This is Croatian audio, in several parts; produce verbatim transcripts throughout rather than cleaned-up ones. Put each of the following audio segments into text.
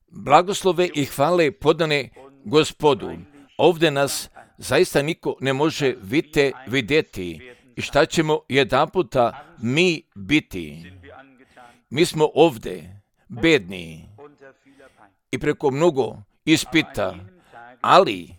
Blagoslove i hvale podane Gospodu. Ovdje nas zaista niko ne može vite vidjeti. I šta ćemo jedan puta mi biti? Mi smo ovdje bedni i preko mnogo ispita, ali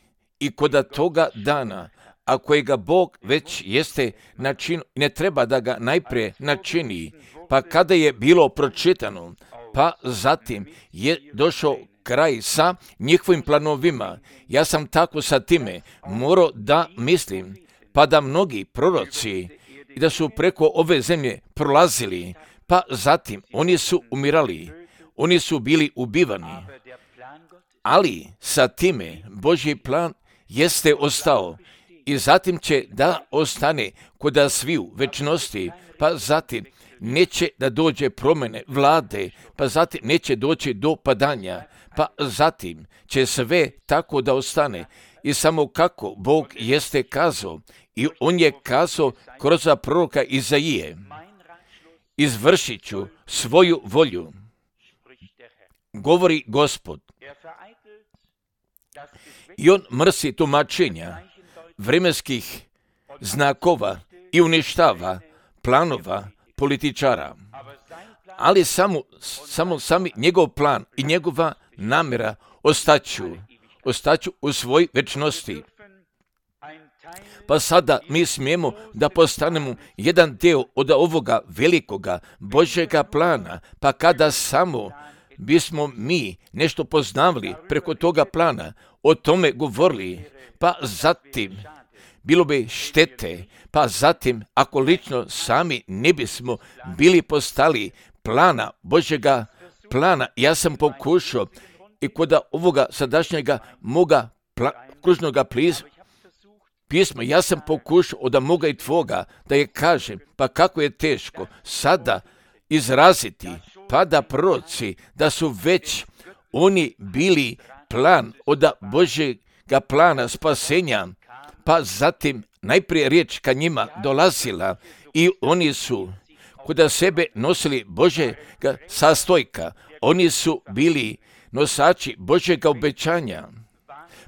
i kod toga dana, a kojega Bog već jeste načinio, ne treba da ga najprije načini, pa kada je bilo pročitano, pa zatim je došao kraj sa njihovim planovima. Ja sam tako sa time morao da mislim, pa da mnogi proroci i da su preko ove zemlje prolazili, pa zatim oni su umirali, oni su bili ubivani, ali sa time Božji plan jeste ostao i zatim će da ostane kod sviju večnosti, pa zatim neće da dođe promjene vlade, pa zatim neće doći do padanja, pa zatim će sve tako da ostane. I samo kako Bog jeste kazao, i on je kazao kroz proroka Izaije, izvršit ću svoju volju, govori Gospod. I on mrsi tumačenja vremenskih znakova i uništava planova političara. Ali samo, samo sami njegov plan i njegova namjera ostaću, ostaću u svoj večnosti. Pa sada mi smijemo da postanemo jedan dio od ovoga velikoga Božjega plana, pa kada samo bismo mi nešto poznavali preko toga plana, o tome govorili, pa zatim bilo bi štete, pa zatim ako lično sami ne bismo bili postali plana, Božjega plana. Ja sam pokušao i kod ovoga sadašnjega moga pla, kružnoga pliz, pisma, ja sam pokušao od moga i tvoga da je kažem, pa kako je teško sada izraziti, pa da proroci, da su već oni bili plan od Božjega plana spasenja, pa zatim najprije riječ ka njima dolazila i oni su kod sebe nosili Božjega sastojka, oni su bili nosači Božjega obećanja,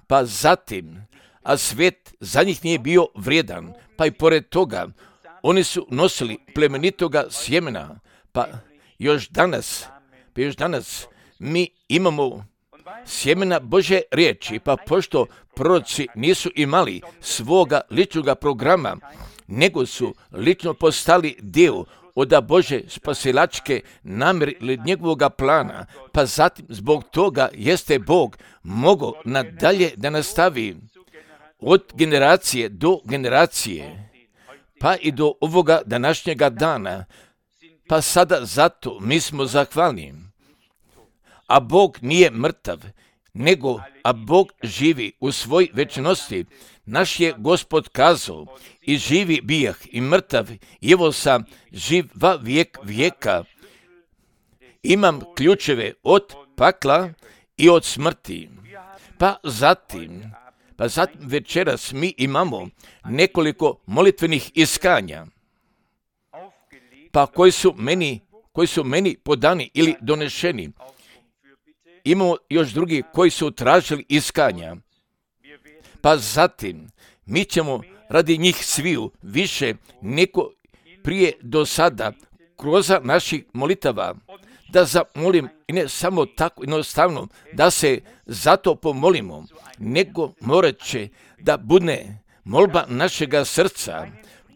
pa zatim, a svijet za njih nije bio vrijedan, pa i pored toga, oni su nosili plemenitoga sjemena, pa još danas, pa još danas mi imamo sjemena Božje riječi, pa pošto proroci nisu imali svoga ličnoga programa, nego su lično postali dio od Bože spasilačke namjere ili njegovoga plana, pa zatim zbog toga jeste Bog mogao nadalje da nastavi od generacije do generacije, pa i do ovoga današnjega dana, pa sada zato mi smo zahvalni. A Bog nije mrtav, nego a Bog živi u svoj večnosti. Naš je Gospod kazao, i živi bijah i mrtav, i evo sam živ va vijek vijeka. Imam ključeve od pakla i od smrti. Pa zatim, pa zatim večeras mi imamo nekoliko molitvenih iskanja, pa koji su meni, koji su meni podani ili donešeni. Imamo još drugi koji su tražili iskanja. Pa zatim, mi ćemo radi njih sviju više neko prije do sada kroz naših molitava da zamolim, i ne samo tako jednostavno da se zato pomolimo, nego morat će da bude molba našega srca,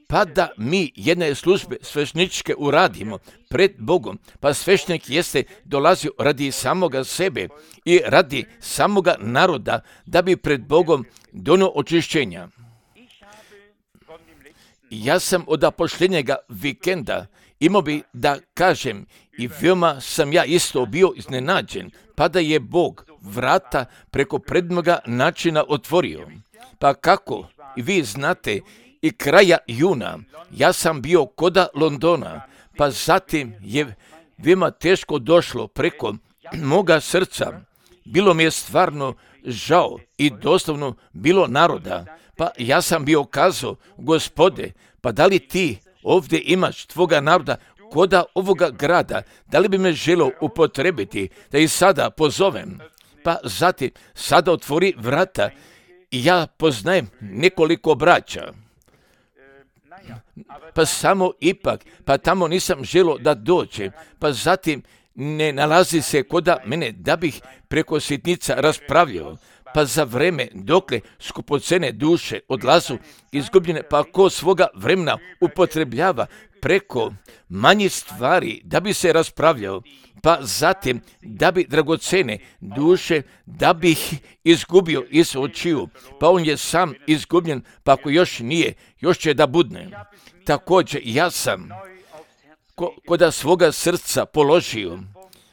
pa da mi jedne službe svešničke uradimo pred Bogom, pa svešnik jeste dolazio radi samoga sebe i radi samoga naroda, da bi pred Bogom donio očišćenja. Ja sam od posljednjega vikenda imao bi da kažem i veoma sam ja isto bio iznenađen, pa da je Bog vrata preko predmoga načina otvorio. Pa kako i vi znate, i kraja juna ja sam bio koda Londona, pa zatim je veoma teško došlo preko moga srca. Bilo mi je stvarno žao i doslovno bilo naroda, pa ja sam bio kazao, Gospode, pa da li ti ovdje imaš tvoga naroda koda ovoga grada, da li bi me želio upotrebiti, da i sada pozovem, pa zatim sada otvori vrata i ja poznajem nekoliko braća. Pa samo ipak, pa tamo nisam želio da dođem, pa zatim ne nalazi se koda mene da bih preko sitnica raspravljao, pa za vreme dokle skupocene duše odlazu izgubljene, pa ko svoga vremena upotrebljava preko manjih stvari da bi se raspravljao, pa zatim da bi dragocene duše da bi ih izgubio iz očiju, pa on je sam izgubljen, pa ako još nije, još će da budne. Također ja sam ko, koda svoga srca položio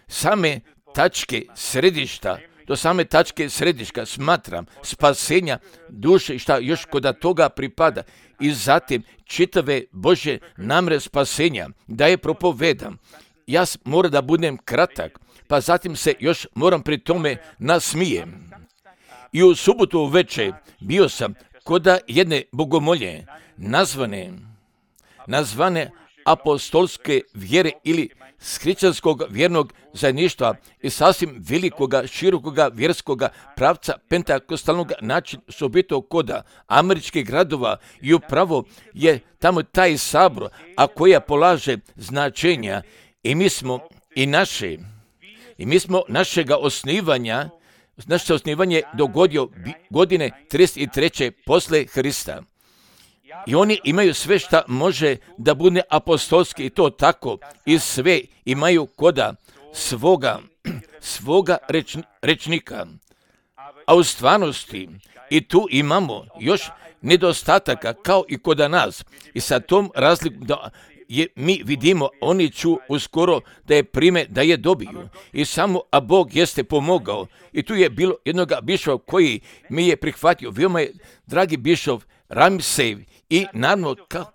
same tačke središta, do same tačke središta smatram spasenja duše i šta još koda toga pripada i zatim čitave Božje namre spasenja da je propovedam. Ja moram da budem kratak, pa zatim se još moram pri tome nasmijem. I u subotu uveče bio sam koda jedne bogomolje nazvane, nazvane apostolske vjere ili hrišćanskog vjernog zajedništva i sasvim velikoga, širokoga vjerskoga pravca pentakostalnog način sobito koda američkih gradova i upravo je tamo taj sabor, a koja polaže značenja i mi smo i naše, i mi smo našega osnivanja, naše osnivanje dogodio godine trideset treće posle Hrista. I oni imaju sve šta može da bude apostolski i to tako i sve imaju koda svoga, svoga reč, rečnika. A u stvarnosti i tu imamo još nedostataka kao i koda nas. I sa tom razlikom da je, mi vidimo, oni ću uskoro da je prime, da je dobiju. I samo, a Bog jeste pomogao. I tu je bilo jednoga bišova koji mi je prihvatio. Veoma je, dragi bišov, Ramsej, i naravno kako,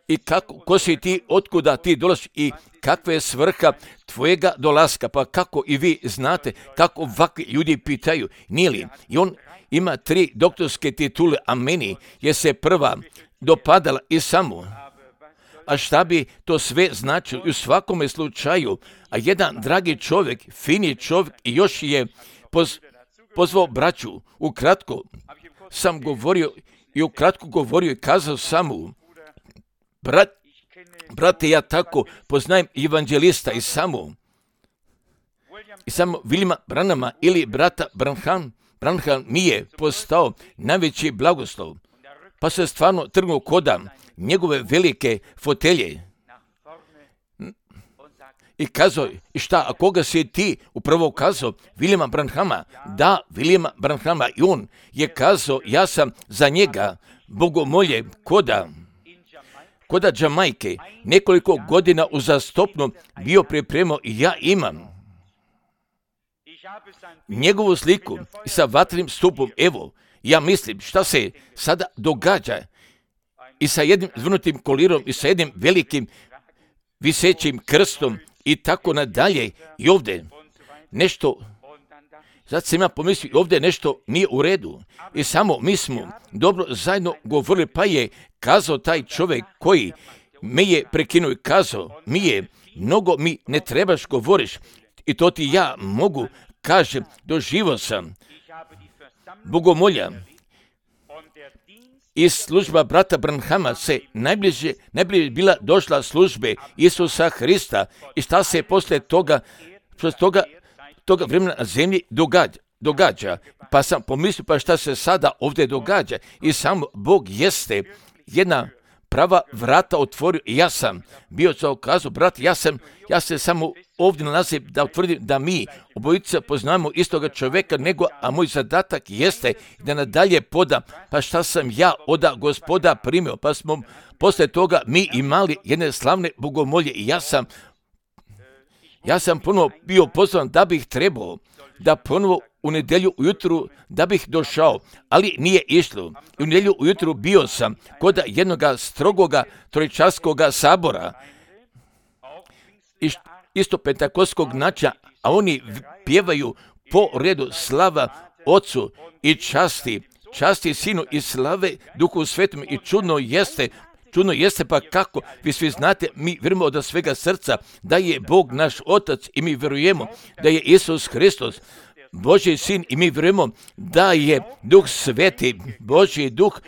i kako, ko si ti, otkuda ti dolaziš i kakva je svrha tvojega dolaska, pa kako i vi znate, kako ovakvi ljudi pitaju, nije li? I on ima tri doktorske titule, a meni je se prva dopadala i samo. A šta bi to sve značilo i u svakome slučaju, a jedan dragi čovjek, fini čovjek i još je poz, pozvao braću, ukratko sam govorio i ukratko govorio i kazao samo, brat, brate, ja tako poznajem evanđelista i samo, i samo Williama Branhama ili brata Branham, Branham mi je postao najveći blagoslov, pa se stvarno trgnuo koda njegove velike fotelje i kazao, i šta, a koga si ti upravo kazao? Williama Branhama. Da, Williama Branhama. I on je kazao, ja sam za njega bogomolje koda, koda Jamajke nekoliko godina uzastopno bio pripremao i ja imam njegovu sliku sa vatrenim stupom. Evo, ja mislim šta se sada događa i sa jednim zvrnutim kolirom i sa jednim velikim visećim krstom i tako nadalje. I ovdje nešto, sad sam ja pomislio, ovdje nešto nije u redu. I samo mi smo dobro zajedno govorili, pa je kazao taj čovjek koji me je prekinuo i kazao, mi je, mnogo mi ne trebaš govoriš i to ti ja mogu, kažem, doživio sam bogomolja i služba brata Branhama se najbliže, najbliže bila došla službe Isusa Hrista i šta se posle toga, posle toga, toga vremena na zemlji događa, događa. Pa sam pomislio, pa šta se sada ovdje događa i samo Bog jeste jedna prava vrata otvorio i ja sam bio za okazu, brat, ja sam, ja se samo ovdje nalazim da utvrdim da mi obojica poznamo istoga čovjeka, nego, a moj zadatak jeste da nadalje podam, pa šta sam ja od Gospoda primio, pa smo posle toga mi imali jedne slavne bogomolje i ja sam, ja sam ponovo bio pozvan da bih trebao da ponovo u nedjelju ujutru da bih došao, ali nije išlo. I u nedjelju ujutru bio sam kod jednoga strogoga trojčarskoga sabora, isto pentakostskog načina, a oni pjevaju po redu slava Ocu i časti, časti Sinu i slave Duhu Svetom i čudno jeste, čudno jeste pa kako, vi svi znate, mi vjerujemo od svega srca da je Bog naš Otac i mi vjerujemo da je Isus Hristos Božji sin i mi vjerujemo da je Duh Sveti, Božji duh,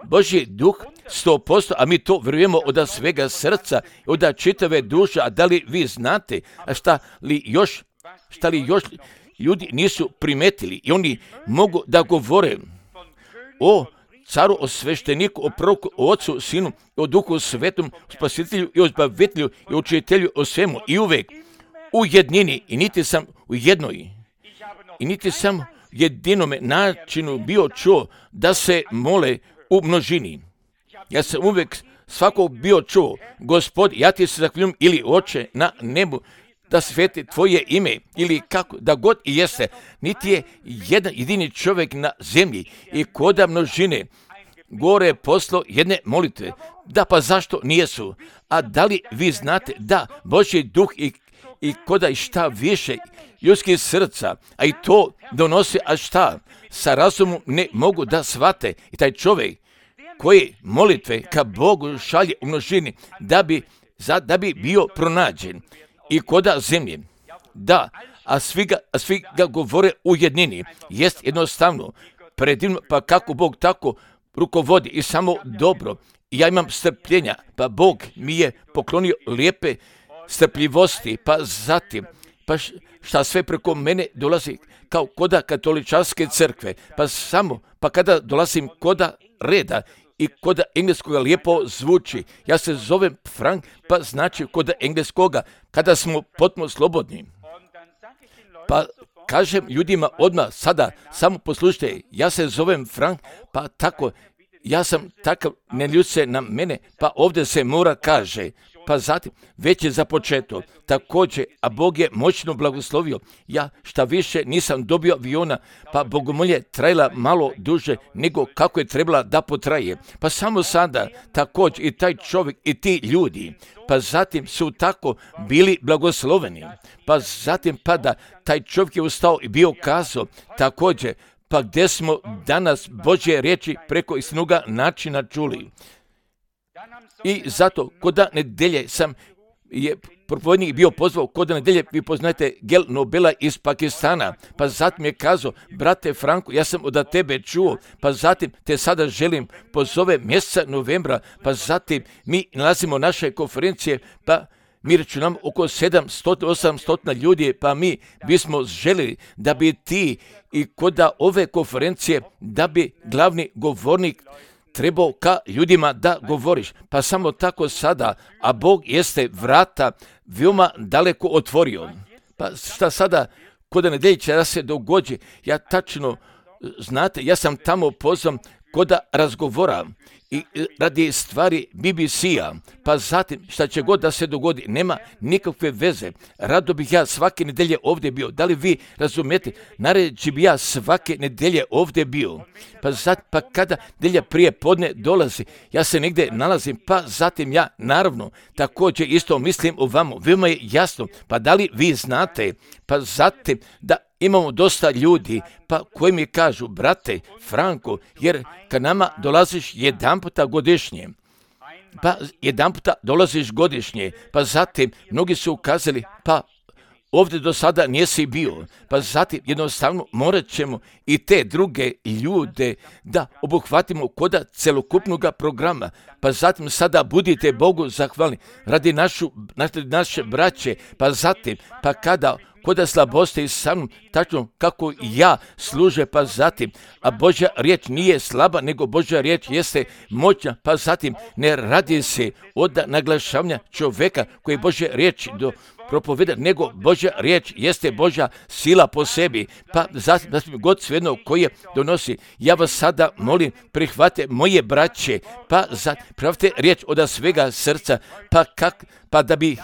Božji duh sto posto, a mi to vjerujemo od svega srca, od čitave duše. A da li vi znate, a šta li još, šta li još ljudi nisu primetili i oni mogu da govore o caru, o svešteniku, o proroku, o Ocu, Sinu, o Duhu Svetom, o Spasitelju i o Zbavitelju i o Učitelju, o svemu i uvek u jednini i niti sam u jednoj i niti sam u jedinome načinu bio čuo da se mole u množini. Ja sam uvek svakog bio čuo, Gospod, ja ti se zahvaljujem, ili Oče na nebu, da sveti tvoje ime, ili kako, da god i jeste, niti je jedan jedini čovjek na zemlji i koda množine gore poslo jedne molitve. Da, pa zašto nijesu? A da li vi znate da Božji duh i, i koda i šta više ljudskih srca, a i to donosi, a šta sa razumom ne mogu da shvate. I taj čovjek koji molitve ka Bogu šalje u množini da bi, za, da bi bio pronađen i koda zemlje. Da, a svi ga, a svi ga govore u jednini. Jest jednostavno predivno, pa kako Bog tako rukovodi i samo dobro. I ja imam strpljenja, pa Bog mi je poklonio lijepe strpljivosti, pa zatim, pa šta sve preko mene dolazi kao koda katoličanske crkve, pa samo, pa kada dolazim koda reda i koda engleskoga lijepo zvuči, ja se zovem Frank, pa znači koda engleskoga, kada smo potpuno slobodni. Pa kažem ljudima odmah sada, samo poslušajte, ja se zovem Frank, pa tako, ja sam takav, ne ljut se na mene, pa ovdje se mora kaže, pa zatim već je započeto. Također, a Bog je moćno blagoslovio. Ja šta više nisam dobio aviona, pa bogomolje trajala malo duže nego kako je trebala da potraje. Pa samo sada također i taj čovjek i ti ljudi, pa zatim su tako bili blagosloveni. Pa zatim pa da taj čovjek je ustao i bio kazao također, pa gdje smo danas Božje riječi preko istinoga načina čuli. I zato koda nedelje sam je propovednik bio pozvao, koda nedelje vi poznajete Gel Nobela iz Pakistana, pa zatim je kazao, brate Franko, ja sam od tebe čuo, pa zatim te sada želim pozove mjeseca novembra, pa zatim mi nalazimo naše konferencije, pa mi računamo oko sedamsto do osamsto ljudi, pa mi bismo željeli da bi ti i koda ove konferencije, da bi glavni govornik trebao ka ljudima da govoriš. Pa samo tako sada, a Bog jeste vrata veoma daleko otvorio. Pa šta sada, koda nedelje će da se dogodi, ja tačno, znate, ja sam tamo pozvan koda razgovora i radi stvari B B C-a, pa zatim šta će god da se dogodi, nema nikakve veze. Rado bih ja svake nedelje ovdje bio. Da li vi razumijete? Nareći bi ja svake nedelje ovdje bio. Pa zatim, pa kada nedelja prije podne dolazi, ja se negdje nalazim, pa zatim ja naravno također isto mislim o vama. Veoma je jasno, pa da li vi znate, pa zatim da imamo dosta ljudi, pa koji mi kažu, brate Franko, jer kad nama dolaziš jedan puta godišnje, pa jedan puta dolaziš godišnje, pa zatim mnogi su ukazali, pa ovdje do sada nisi bio, pa zatim jednostavno morat ćemo i te druge ljude da obuhvatimo koda celokupnog programa, pa zatim sada budite Bogu zahvalni radi našu, naše braće, pa zatim, pa kada koda slabosti sa mnom, tačno kako ja služe, pa zatim, a Božja riječ nije slaba, nego Božja riječ jeste moćna, pa zatim ne radi se od naglašavanja čovjeka koji Božja riječ do propoveda, nego Božja riječ jeste Božja sila po sebi, pa zatim, zatim god svejedno koje donosi. Ja vas sada molim, prihvate moje braće, pa zatim, prihvate riječ od svega srca, pa, kak, pa da bi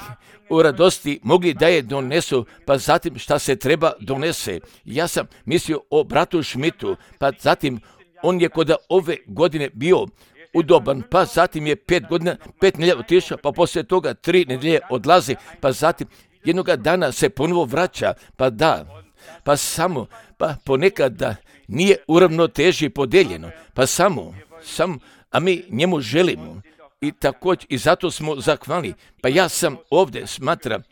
u radosti mogli da je donesu, pa zatim šta se treba donese. Ja sam mislio o bratu Šmitu, pa zatim on je kod ove godine bio udoban, pa zatim je pet godina, pet nedelja otišao, pa poslije toga tri nedelje odlazi, pa zatim jednoga dana se ponovo vraća, pa da, pa samo, pa ponekad da nije uravnoteži podeljeno, pa samo, samo, a mi njemu želimo, i također i zato smo zahvalni. Pa ja sam ovdje smatram,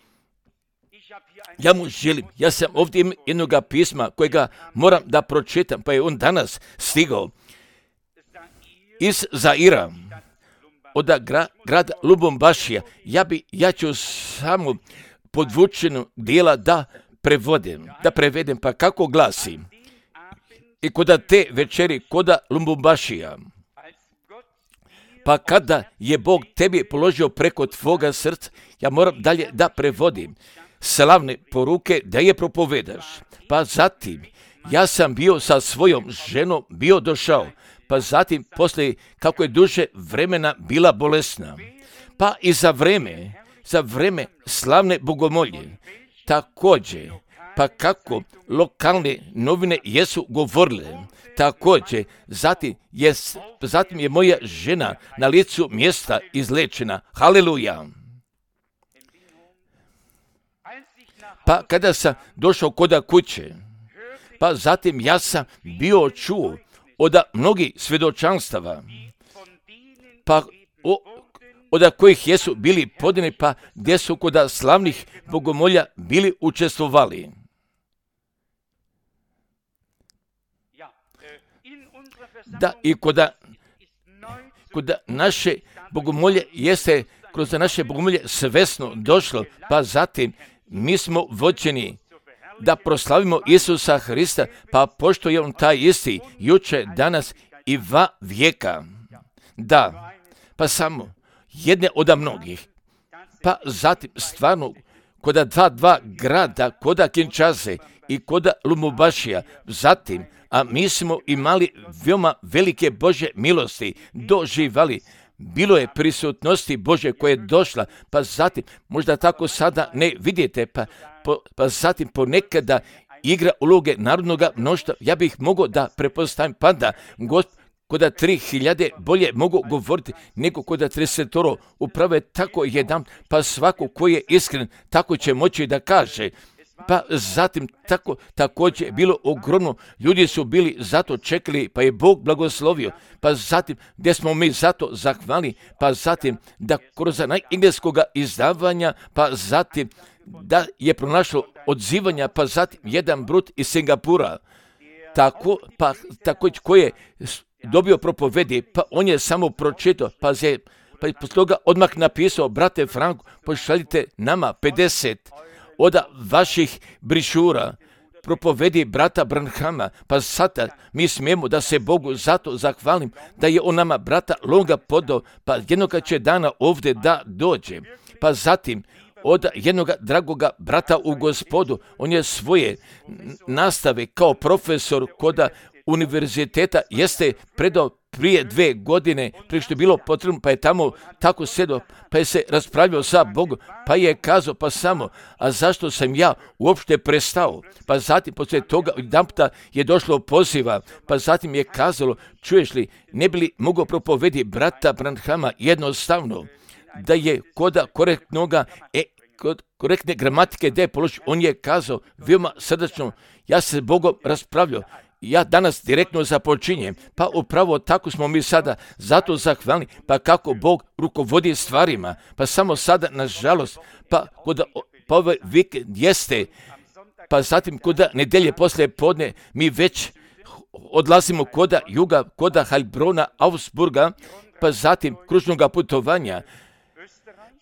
ja mu želim, ja sam ovdje imam jednoga pisma kojega moram da pročitam, pa je on danas stigao iz Zaira, od gra, grada Lubumbašija. Ja, bi, ja ću samo podvučenog dijela da prevodim, da prevedem, pa kako glasi. I koda te večeri, koda Lubumbašija, pa kada je Bog tebi položio preko tvoga srca, ja moram dalje da prevodim slavne poruke da je propovedaš. Pa zatim, ja sam bio sa svojom ženom, bio došao, pa zatim poslije kako je duže vremena bila bolesna. Pa i za vreme, za vreme slavne bogomolje, također, pa kako lokalne novine jesu govorile, također, zatim je, zatim je moja žena na licu mjesta izlečena. Haleluja! Pa kada sam došao koda kuće, pa zatim ja sam bio čuo od mnogih svjedočanstava, pa o, od kojih jesu bili podine, pa gdje su koda slavnih bogomolja bili učestvovali. Da, i koda, koda naše bogomolje jeste kroz naše bogomolje svesno došlo, pa zatim mi smo vođeni da proslavimo Isusa Hrista, pa pošto je on taj isti, juče, danas i va vijeka. Da, pa samo jedne od mnogih. Pa zatim stvarno, koda dva, dva grada, koda Kinshase i koda Lubumbašija, zatim, a mi smo imali veoma velike Božje milosti, doživali. Bilo je prisutnosti Božje koja je došla, pa zatim, možda tako sada ne vidite, pa, po, pa zatim ponekada igra uloge narodnog mnoštva. Ja bih mogao da prepostavim, pa da Gospod koda tri hiljade bolje mogu govoriti nego koda tridesetoro. Upravo je tako jedan, pa svako koji je iskren tako će moći da kaže. Pa zatim tako, također je bilo ogromno, ljudi su bili zato čekali, pa je Bog blagoslovio, pa zatim gdje smo mi zato zahvali, pa zatim da kroz engleskog izdavanja, pa zatim da je pronašlo odzivanja, pa zatim jedan brut iz Singapura, tako, pa također koji je dobio propovedi, pa on je samo pročitao, pa je pa je posle toga odmah napisao, brate Franko, pošaljite nama pedeset od vaših brišura, propovedi brata Branhama, pa sada mi smijemo da se Bogu zato zahvalim da je on nama brata Longa podao, pa jednoga će dana ovdje da dođe. Pa zatim od jednog dragoga brata u Gospodu, on je svoje nastave kao profesor koda univerziteta jeste predao prije dve godine, prije što je bilo potrebno, pa je tamo tako sedao, pa je se raspravljao sa Bogom, pa je kazao, pa samo, a zašto sam ja uopšte prestao? Pa zatim, poslije toga, jedanputa je došlo poziva, pa zatim je kazalo, čuješ li, ne bi li mogao propovedi brata Branhama jednostavno, da je koda korektnoga, e, kod korektne gramatike da je položio, on je kazao, veoma srdačno, ja se s Bogom raspravljao, ja danas direktno započinjem, pa upravo tako smo mi sada zato zahvalni, pa kako Bog rukovodi stvarima, pa samo sada, nažalost, pa kod pa ovaj vikend jeste, pa zatim kod nedelje poslije podne, mi već odlazimo koda juga, koda Heilbrona, Augsburga, pa zatim kružnog putovanja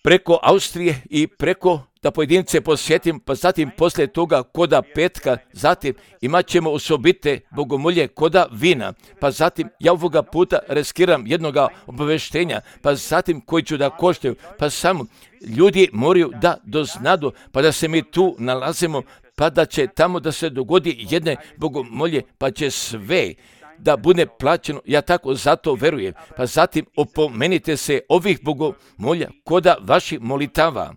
preko Austrije i preko da pojedince posjetim, pa zatim poslije toga koda petka, zatim imat ćemo osobite bogomolje koda vina, pa zatim ja ovoga puta riskiram jednoga obaveštenja, pa zatim koji ću da koštaju, pa samo ljudi moraju da doznadu, pa da se mi tu nalazimo, pa da će tamo da se dogodi jedne bogomolje, pa će sve da bude plaćeno, ja tako zato verujem, pa zatim opomenite se ovih bogomolja koda vaših molitava.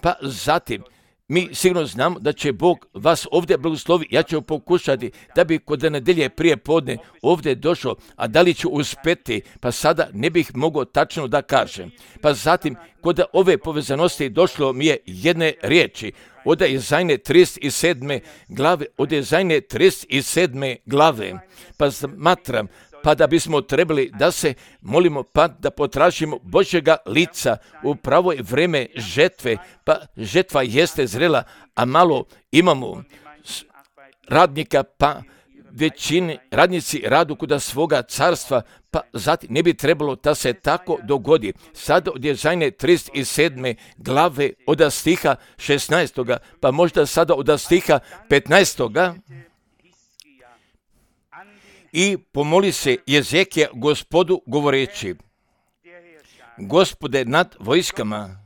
Pa zatim, mi sigurno znamo da će Bog vas ovdje blagoslovi. Ja ću pokušati da bi kod nedelje prije podne ovdje došao, a da li ću uspjeti, pa sada ne bih mogao tačno da kažem. Pa zatim, kod ove povezanosti došlo mi je jedne riječi, od Izajne trideset sedme glave, od Izajne trideset sedme glave, pa smatram, pa da bismo trebali da se molimo, pa da potražimo Božjega lica u pravo vrijeme žetve, pa žetva jeste zrela, a malo imamo radnika, pa većini radnici radu kuda svoga carstva, pa zatim ne bi trebalo da se tako dogodi. Sad od Jezajne trideset sedme glave od stiha šesnaestoga, pa možda sada od stiha petnaestoga. I pomoli se Jezekija Gospodu govoreći: Gospode nad vojskama,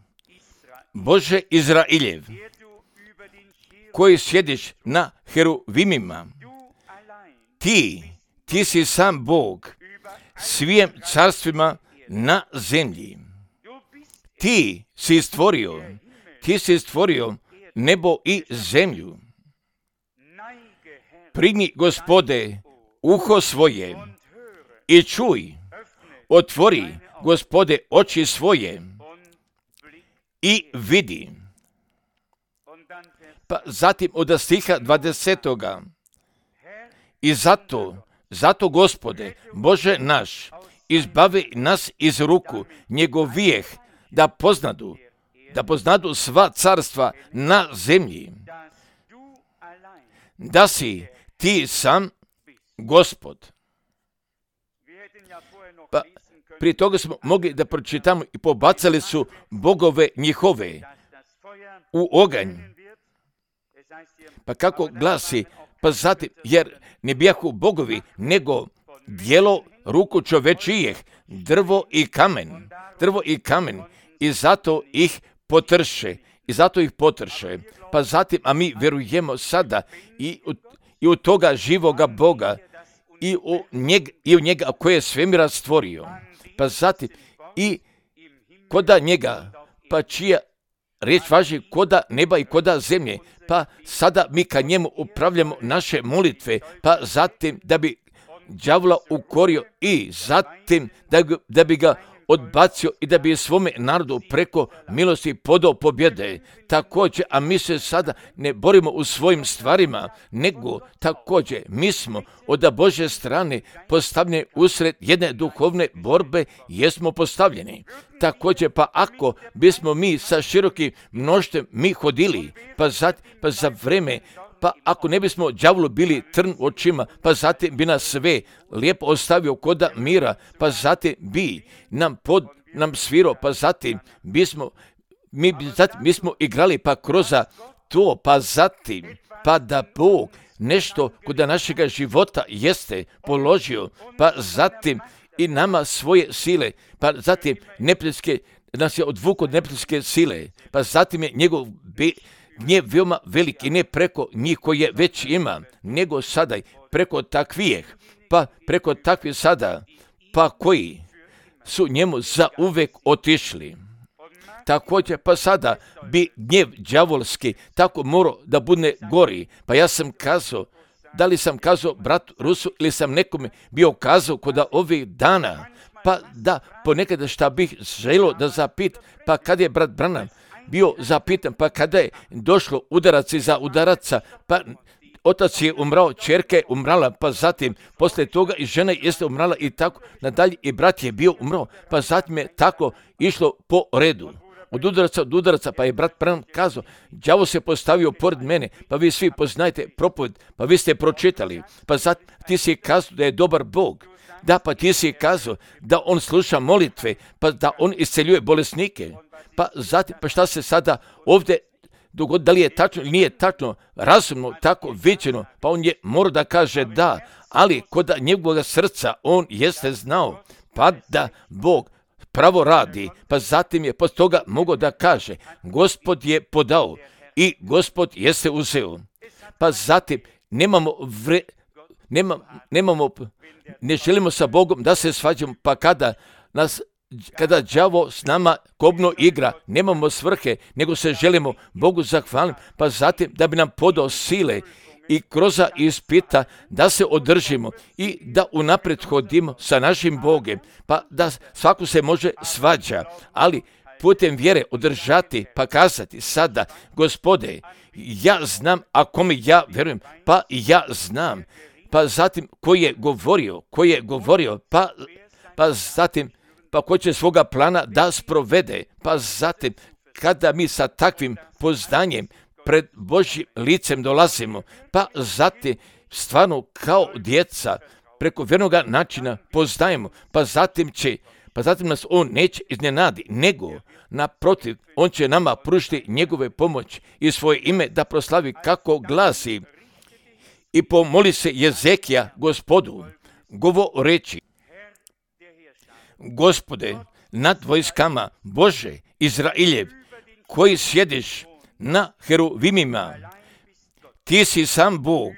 Bože Izrailjev, koji sjediš na heruvimima, ti, ti si sam Bog svijem carstvima na zemlji. Ti si stvorio, ti si stvorio nebo i zemlju. Prigni, Gospode, uho svoje i čuj, otvori, Gospode, oči svoje i vidi. Pa zatim od stiha dvadesetoga. I zato, zato, Gospode, Bože naš, izbavi nas iz ruku njegovijeh, da poznadu, da poznadu sva carstva na zemlji, da si ti sam Gospod. Pa prije toga smo mogli da pročitamo i pobacali su bogove njihove u oganj. Pa kako glasi, pa zatim, jer ne bijahu bogovi, nego djelo ruku čovečijeh, drvo i kamen, drvo i kamen, i zato ih potrše, i zato ih potrše. Pa zatim, a mi vjerujemo sada i u, i u toga živoga Boga, i u njega, i u njega koje je svemira stvorio. Pa zatim, i koda njega, pa čija riječ važi koda neba i koda zemlje, pa sada mi ka njemu upravljamo naše molitve, pa zatim da bi đavola ukorio i zatim da, da bi ga odbacio i da bi svome narodu preko milosti podao pobjede. Također, a mi se sada ne borimo u svojim stvarima, nego također mi smo od Božje strane postavljeni usred jedne duhovne borbe, jesmo postavljeni. Također, pa ako bismo mi sa širokim mnoštvom mi hodili, pa za, pa za vreme, pa ako ne bismo đavolu bili trn u očima, pa zatim bi nas sve lijepo ostavio koda mira, pa zatim bi nam pod nam svirao, pa zatim bismo mi, zatim, mi smo igrali pa kroz to, pa zatim, pa da Bog nešto kod našega života jeste položio, pa zatim i nama svoje sile, pa zatim neprijateljske, nas je odvukao od neprijateljske sile, pa zatim je njegov be, nije veoma veliki, ne preko njih koje već ima, nego sada preko takvijeh, pa preko takvih sada, pa koji su njemu zauvek otišli. Također, pa sada bi gnjev đavolski tako morao da bude gori. Pa ja sam kazao, da li sam kazao bratu Rusu ili sam nekome bio kazao kod ovih dana, pa da ponekada šta bih želio da zapit, pa kad je brat Branham bio zapitan, pa kada je došlo udarac za udaraca, pa otac je umrao, ćerka je umrala, pa zatim poslije toga i žena jeste umrala i tako nadalje, i brat je bio umrao, pa zatim je tako išlo po redu. Od udaraca od udaraca, pa je brat Branham kazao, đavo se postavio pored mene, pa vi svi poznajete propoved, pa vi ste pročitali, pa zatim ti si kazao da je dobar Bog. Da, pa ti si kazao da on sluša molitve, pa da on isceljuje bolesnike. Pa zatim, pa šta se sada ovdje dogodi, da li je tačno ili nije tačno, razumno tako viđeno, pa on je morao da kaže da, ali kod njegovog srca on jeste znao, pa da Bog pravo radi, pa zatim je poslije toga mogao da kaže, Gospod je podao i Gospod jeste uzeo. Pa zatim nemamo vre, nema, nemamo, ne želimo sa Bogom da se svađamo, pa kada nas kada đavo s nama kobno igra, nemamo svrhe, nego se želimo Bogu zahvaliti, pa zatim da bi nam podao sile i kroz ispita da se održimo i da unaprijed hodimo sa našim Bogom, pa da svako se može svađa, ali putem vjere održati, pa kazati sada, Gospode, ja znam, a kome ja vjerujem, pa ja znam, pa zatim ko je govorio, ko je govorio, pa, pa zatim pa ko će svoga plana da sprovede, pa zatim kada mi sa takvim poznanjem pred Božjim licem dolazimo, pa zatim stvarno kao djeca preko vjernoga načina poznajemo, pa zatim će, pa zatim nas on neće iznenadi, nego naprotiv, on će nama pružiti njegove pomoć i svoje ime da proslavi kako glasi. I pomoli se Jezekija Gospodu, govoreći: Gospode, nad vojskama Bože Izrailjev, koji sjediš na heruvimima, ti si sam Bog,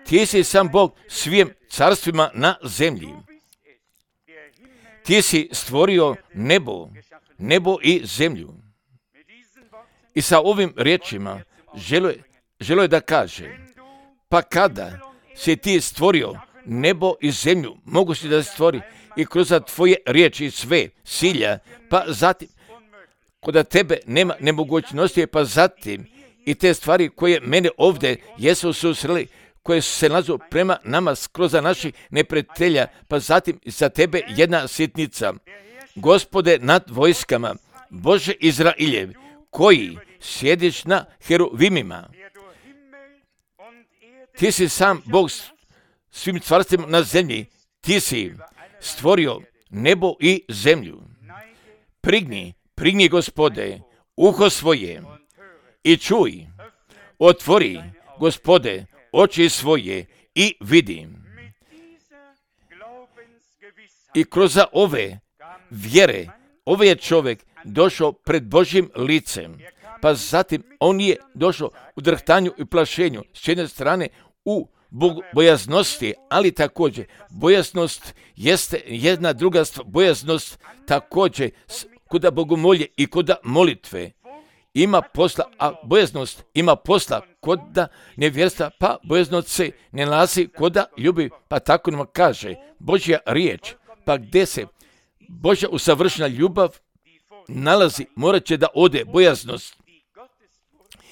ti si sam Bog svim carstvima na zemlji. Ti si stvorio nebo, nebo i zemlju. I sa ovim riječima želo je, želo je da kaže, pa kada si ti stvorio nebo i zemlju, mogu si da stvori i kroz tvoje riječi sve silja, pa zatim, kod tebe nema nemogućnosti, pa zatim i te stvari koje mene ovdje jesu susreli, koje su se nalazu prema nama skroz za naših neprijatelja, pa zatim za tebe jedna sitnica. Gospode nad vojskama, Bože Izrailjev, koji sjediš na heruvimima, ti si sam Bog svim carstvima na zemlji, ti si stvorio nebo i zemlju. Prigni, prigni, Gospode, uho svoje i čuj, otvori, Gospode, oči svoje i vidi. I kroz ove vjere, ovaj je čovjek došao pred Božjim licem, pa zatim on je došao u drhtanju i plašenju, s jedne strane u bojaznosti, ali također bojaznost jeste jedna druga stvar, bojaznost također kuda bogomolje i kuda molitve ima posla, a bojaznost ima posla koda nevjerstva, pa bojaznost se ne nalazi koda ljubi, pa tako nam kaže Božja riječ, pa gdje se Božja usavršena ljubav nalazi, morat će da ode bojaznost.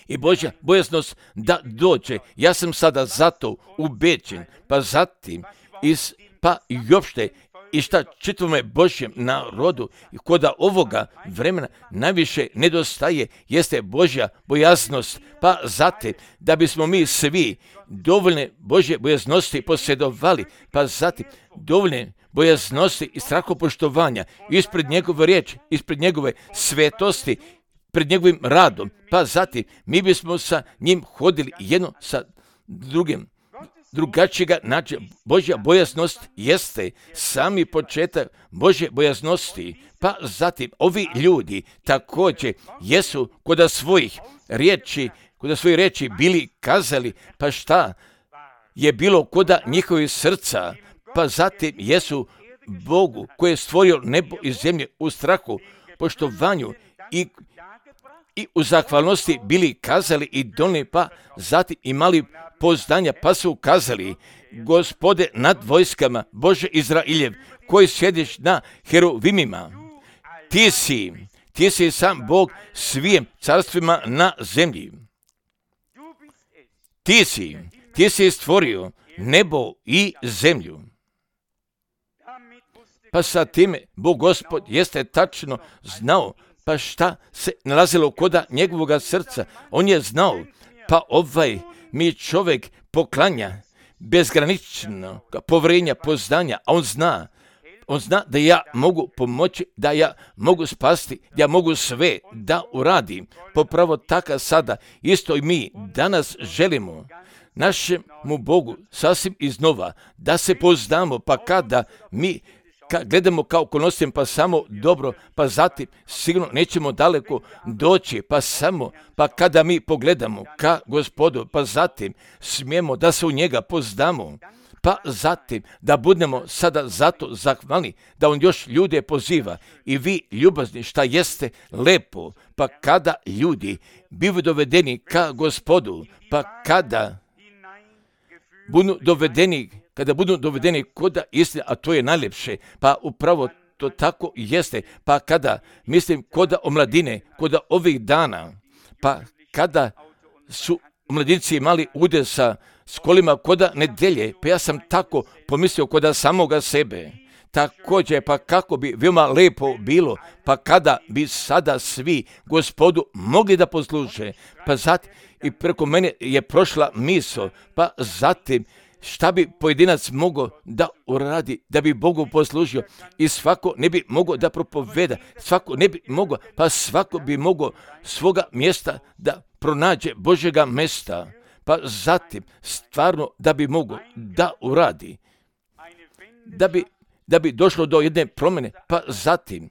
I Božja bojaznost da dođe. Ja sam sada zato ubeđen, pa zatim iz, pa i uopšte i šta čitavome Božjem narodu i koda ovoga vremena najviše nedostaje jeste Božja bojaznost, pa zatim da bismo mi svi dovoljne Božje bojaznosti posjedovali, pa zatim dovoljne bojaznosti i strahopoštovanja ispred njegove riječi, ispred njegove svetosti, pred njegovim radom, pa zatim mi bismo sa njim hodili jedno sa drugim, drugačijega načina. Božja bojaznost jeste sami početak Božje bojaznosti, pa zatim ovi ljudi također jesu kod svojih riječi, kod svojih riječi bili kazali, pa šta je bilo kod njihovih srca, pa zatim jesu Bogu koji je stvorio nebo i zemlje u strahu, poštovanju i i u zahvalnosti bili kazali i donijeli, pa zatim imali poznanja, pa su kazali: Gospode nad vojskama, Bože Izrailjev, koji sjediš na heruvimima, ti si, ti si sam Bog svim carstvima na zemlji. Ti si, ti si stvorio nebo i zemlju. Pa sa time Bog Gospod jeste tačno znao, pa šta se nalazilo koda njegovoga srca. On je znao, pa ovaj mi čovjek poklanja bezgranično povjerenja, poznanja, a on zna, on zna da ja mogu pomoći, da ja mogu spasti, da ja mogu sve da uradim. Popravo taka sada, isto i mi danas želimo našemu Bogu sasvim iznova da se poznamo, pa kada mi Ka gledamo kao okolnostima, pa samo dobro, pa zatim sigurno nećemo daleko doći, pa samo, pa kada mi pogledamo ka Gospodu, pa zatim smijemo da se u njega poznamo, pa zatim da budemo sada zato zahvalni da on još ljude poziva i vi ljubazni šta jeste lepo, pa kada ljudi bivaju dovedeni ka Gospodu, pa kada budu dovedeni kada budu dovedeni koda istine, a to je najljepše, pa upravo to tako jeste, pa kada, mislim, koda omladine, koda ovih dana, pa kada su mladinci imali ude sa s kolima koda nedelje, pa ja sam tako pomislio koda samoga sebe. Također, pa kako bi veoma lepo bilo, pa kada bi sada svi Gospodu mogli da posluže, pa zatim i preko mene je prošla misao, pa zatim šta bi pojedinac mogao da uradi, da bi Bogu poslužio i svako ne bi mogao da propoveda, svako ne bi mogao, pa svako bi mogao svoga mjesta da pronađe Božjega mjesta, pa zatim stvarno da bi mogao da uradi, da bi, da bi došlo do jedne promjene, pa zatim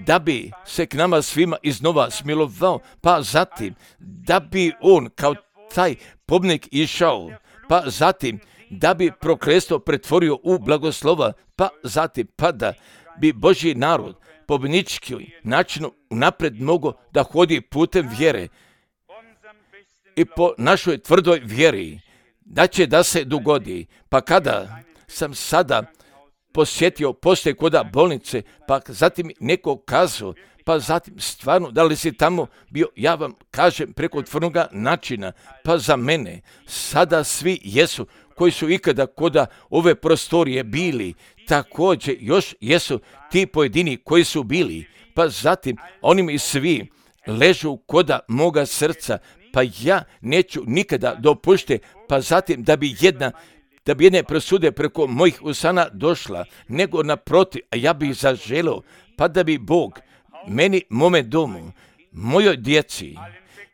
da bi se k nama svima iznova smilovao, pa zatim da bi on kao taj pobnik išao, pa zatim da bi prokletstvo pretvorio u blagoslova, pa zatim pa da bi Božji narod pobjednički načinu napred mogao da hodi putem vjere i po našoj tvrdoj vjeri, da će da se dogodi. Pa kada sam sada posjetio poslije koda bolnice, pa zatim neko kazao, pa zatim stvarno, da li si tamo bio, ja vam kažem preko tvrdnoga načina, pa za mene sada svi jesu koji su ikada koda ove prostorije bili, također još jesu ti pojedini koji su bili, pa zatim oni mi svi ležu koda moga srca, pa ja neću nikada dopušte, pa zatim da bi jedna da bi jedne presude preko mojih usana došla, nego naprotiv, a ja bih zaželeo, pa da bi Bog meni, mome domu, mojoj djeci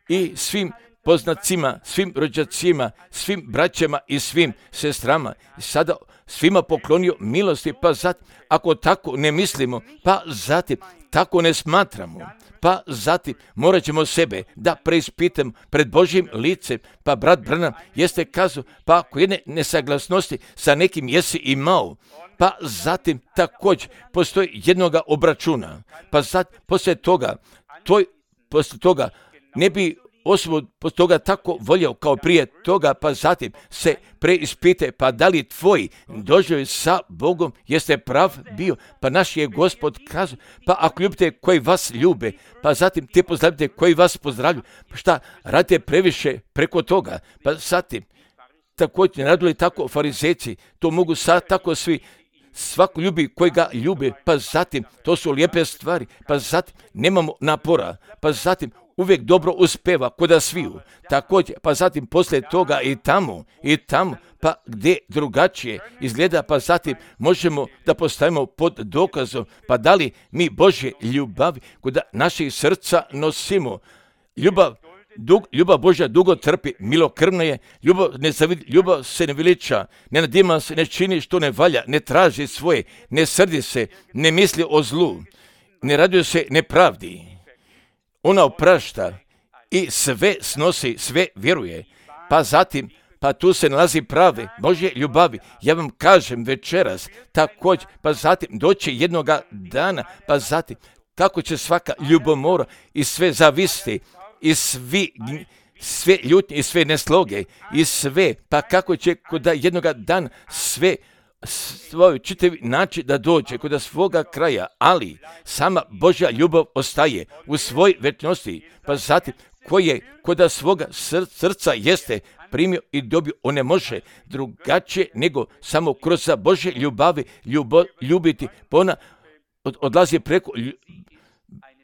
i svim poznacima, svim rođacima, svim braćama i svim sestrama sada svima poklonio milosti, pa zatim, ako tako ne mislimo, pa zatim tako ne smatramo, pa zatim morat ćemo sebe da preispitamo pred Božjim licem, pa brat Branham jeste kazao, pa ako jedne nesaglasnosti sa nekim jesi imao, pa zatim također postoji jednoga obračuna, pa zatim poslije toga, toj, poslije toga ne bi osobu poslije toga tako voljao kao prije toga, pa zatim se preispite, pa da li tvoj doživljaj sa Bogom jeste prav bio, pa naš je Gospod kazao, pa ako ljubite koji vas ljube, pa zatim te pozdravite koji vas pozdravlju, pa šta radite previše preko toga, pa zatim također ne radili tako farizejci, to mogu sad tako svi, svako ljubi koji ga ljubi, pa zatim to su lijepe stvari, pa zatim nemamo napora, pa zatim uvijek dobro uspeva koda sviju, također, pa zatim poslije toga i tamo, i tamo, pa gdje drugačije izgleda, pa zatim možemo da postavimo pod dokazom, pa da li mi Božje ljubavi koda naših srca nosimo, ljubav, dug, ljubav Božja dugo trpi, milokrvna je, ljubav, ne zavid, ljubav se ne veliča, ne nadima se, ne čini što ne valja, ne traži svoje, ne srdi se, ne misli o zlu, ne raduje se nepravdi. Ona oprašta i sve snosi, sve vjeruje, pa zatim, pa tu se nalazi prave Božje ljubavi. Ja vam kažem večeras, također, pa zatim doći jednoga dana, pa zatim, kako će svaka ljubomora i sve zavisti, i svi, sve ljutnje i sve nesloge, i sve, pa kako će koda jednoga dana sve svoj čitavi način da dođe kod svoga kraja, ali sama Božja ljubav ostaje u svoj večnosti, pa zatim koje kod svoga srca jeste primio i dobio, on ne može drugačije nego samo kroz Božje ljubavi ljubo, ljubiti, pa ona od, odlazi preko lju,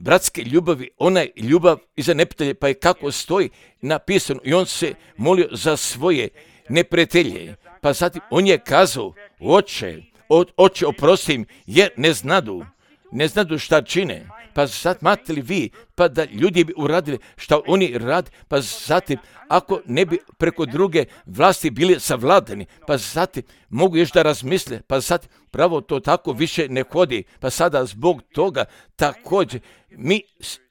bratske ljubavi, ona je ljubav iza neprijatelje, pa je kako stoji napisano i on se molio za svoje neprijatelje, pa zatim on je kazao, oče, o, oče oprosti im, jer ne znadu, ne znadu šta čine, pa sad imate li vi, pa da ljudi bi uradili šta oni rade, pa zatim ako ne bi preko druge vlasti bili savladani, pa zatim mogu još da razmisle, pa zatim pravo to tako više ne hodi, pa sada zbog toga također mi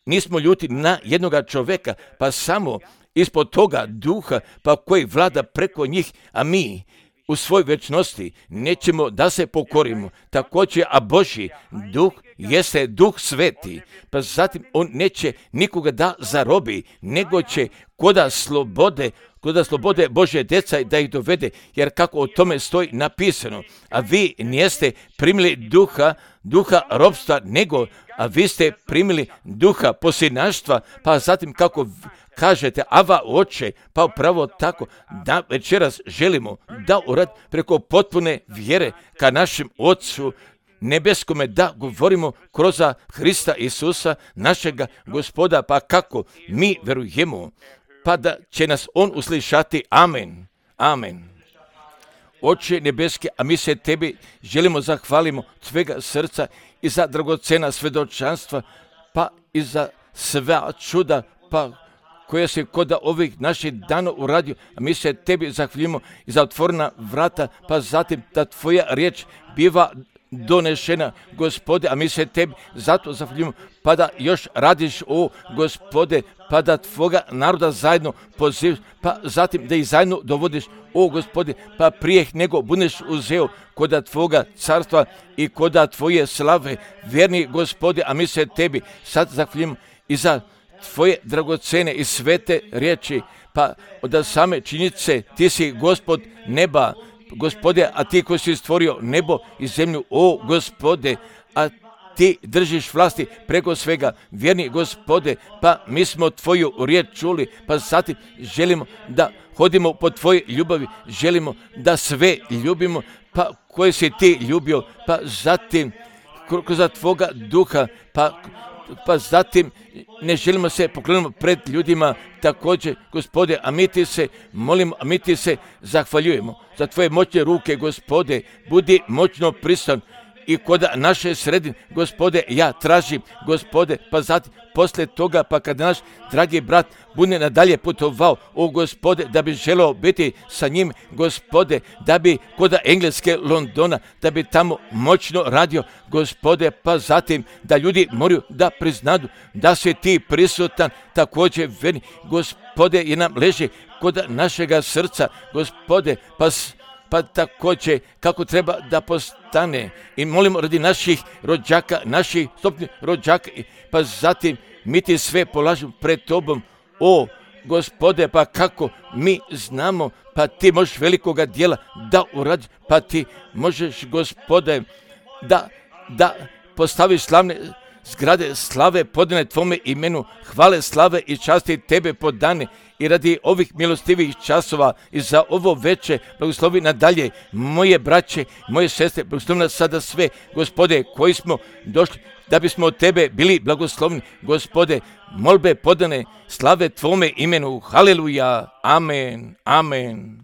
nismo ljuti na jednoga čovjeka, pa samo ispod toga duha, pa koji vlada preko njih, a mi u svoj večnosti nećemo da se pokorimo. Također, a Božji duh jeste duh sveti, pa zatim on neće nikoga da zarobi, nego će koda slobode, koda slobode Božje djeca da ih dovede, jer kako o tome stoji napisano, a vi niste primili duha, duha robstva, nego, a vi ste primili duha posinaštva, pa zatim kako, kažete, ava oče, pa upravo tako, da večeras želimo da urad preko potpune vjere ka našem Otcu nebeskome, da govorimo kroz Hrista Isusa, našega Gospoda, pa kako mi verujemo, pa da će nas On uslišati. Amen. Amen. Oče nebeski, a mi se tebi želimo zahvalimo svega srca i za dragocena svedočanstva, pa i za sva čuda, pa koja se kod ovih naših dana uradio, a mi se tebi zahvaljujemo i za otvorena vrata, pa zatim da tvoja riječ biva donešena, Gospode, a mi se tebi zato zahvaljujemo, pa da još radiš, o Gospode, pa da tvoga naroda zajedno pozivaš, pa zatim da ih zajedno dovodiš, o Gospode, pa prije nego budeš uzeo koda tvoga carstva i koda tvoje slave, vjerni Gospode, a mi se tebi sad zahvaljujemo i za tvoje dragocene i svete riječi, pa od same činjenice ti si Gospod neba, Gospode, a ti koji si stvorio nebo i zemlju, o Gospode, a ti držiš vlasti preko svega, vjerni Gospode, pa mi smo tvoju riječ čuli, pa zatim želimo da hodimo po tvojoj ljubavi, želimo da sve ljubimo, pa koje si ti ljubio, pa zatim kroz tvoga duha, pa pa zatim ne želimo se pokloniti pred ljudima također, Gospode, a mi ti se molimo, a mi ti se zahvaljujemo za tvoje moćne ruke, Gospode, budi moćno prisutan i kod naše sredine, Gospode, ja tražim, Gospode, pa zatim poslije toga, pa kad naš dragi brat bude nadalje putovao, o Gospode, da bi želeo biti sa njim, Gospode, da bi kod Engleske Londona, da bi tamo moćno radio, Gospode, pa zatim da ljudi moraju da priznadu da si ti prisutan, također verni, Gospode, i nam leži kod našega srca, Gospode, pa pa također kako treba da postane, i molimo radi naših rođaka, naših stopnih rođaka, pa zatim mi ti sve polažemo pred tobom, o Gospode, pa kako mi znamo, pa ti možeš velikoga dijela da uradi, pa ti možeš, Gospode, da, da postaviš slavne zgrade slave podane tvome imenu, hvale, slave i časti tebe podane, i radi ovih milostivih časova i za ovo veče blagoslovi nadalje moje braće, moje sestre, blagoslovi nas sada sve, Gospode, koji smo došli da bismo od tebe bili blagoslovni, Gospode, molbe podane slave tvome imenu, haleluja, amen, amen.